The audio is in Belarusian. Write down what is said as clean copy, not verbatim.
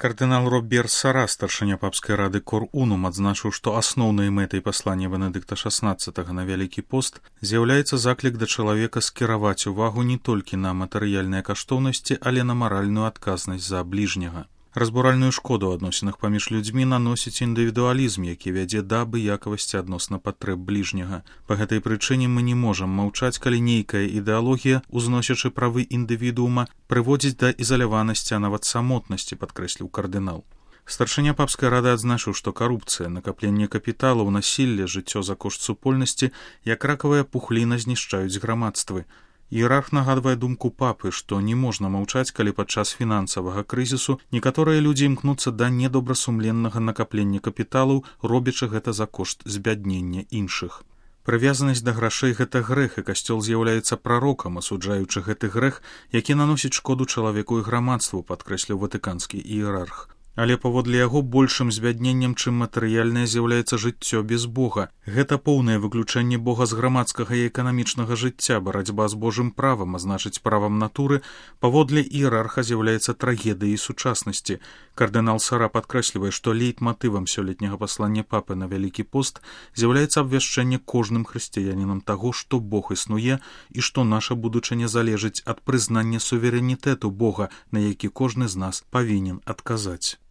Кардынал Роберт Сара, старшыня папскай рады Кор Унум, адзначыў, што асноўнай мэтай паслання Бенедыкта XVI на Вялікі пост з'яўляецца заклік да чалавека скіраваць увагу не толькі на матэрыяльныя каштоўнасці, але на маральную адказнасць за бліжняга. Разбуральную шкоду ў адносінах паміж людзьмі наносіць індывідуалізм, які вядзе да абыякавасці адносна патрэб бліжняга. Па гэтай прычыне мы не можам маўчаць, калі нейкая ідэалогія, узносячы правы індывідуума, прыводзіць да ізаляванасці, а нават самотнасці, падкрэсліў кардынал. Старшыня папскай рады адзначыў, што карупцыя, накапленне капіталаў, насілле, жыццё за кошт супольнасці, як ракавая пухліна знішчаюць грамадствы. Іерарх нагадвае думку папы, што не можна маўчаць, калі падчас фінансавага крызісу некаторыя людзі імкнуцца да недобрасумленнага накаплення капіталаў, робячы гэта за кошт збяднення іншых. Прывязанасць да грашэй – гэта грэх, і касцёл з'яўляецца прарокам, асуджаючы гэты грэх, які наносіць шкоду чалавеку і грамадству, падкрэсліў ватыканскі іерарх. Але паводле яго большым збядненнем, чым матэрыяльнае, з'яўляецца жыццё без Бога. Гэта поўнае выключэнне Бога з грамадскага і эканамічнага жыцця, барацьба з Божым правам, а значыць правам натуры, паводле іерарха з'яўляецца трагедыяй сучаснасці. Кардынал Сара падкрэслівае, што лейтматывам сёлетняга паслання папы на Вялікі пост з'яўляецца абвяшчэнне кожным хрысціянінам таго, што Бог існуе і што наша будучыня залежыць ад прызнання суверэнітэту Бога, на які кожны з нас павінен адказаць.